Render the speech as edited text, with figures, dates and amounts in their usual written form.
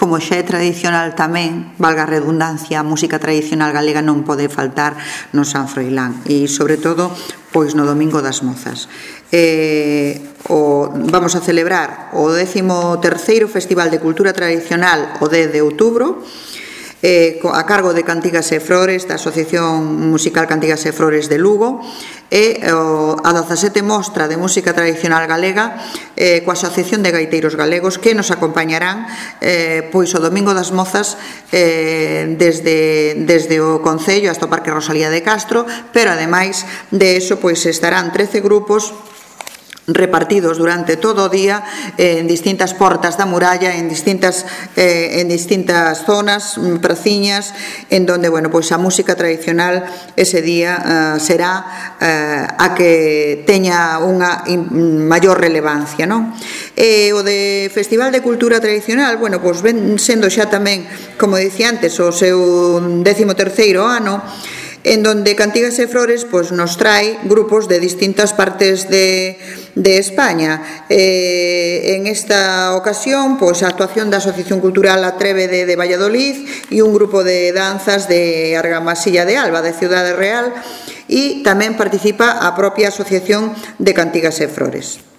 como xa é tradicional tamén, valga a redundancia, a música tradicional galega non pode faltar no San Froilán e, sobre todo, pois no Domingo das Mozas. Vamos a celebrar o 13º Festival de Cultura Tradicional o 10 de outubro, a cargo de Cantigas e Flores, da Asociación Musical Cantigas e Flores de Lugo, e a 17 Mostra de Música Tradicional Galega coa Asociación de Gaiteiros Galegos, que nos acompañarán pois o Domingo das Mozas desde o Concello hasta o Parque Rosalía de Castro, pero ademais de eso pois estarán 13 grupos repartidos durante todo o día en distintas portas da muralla, en distintas zonas, praciñas, en donde, bueno, pois a música tradicional ese día será a que teña unha maior relevancia, non? O de Festival de Cultura Tradicional, bueno, pois ven sendo xa tamén, como dicía antes, o seu 13º ano, en donde Cantigas e Flores pois, nos trae grupos de distintas partes de España. En esta ocasión, pois, a actuación da Asociación Cultural Atrévede de Valladolid e un grupo de danzas de Argamasilla de Alba, de Ciudade Real, e tamén participa a propia Asociación de Cantigas e Flores.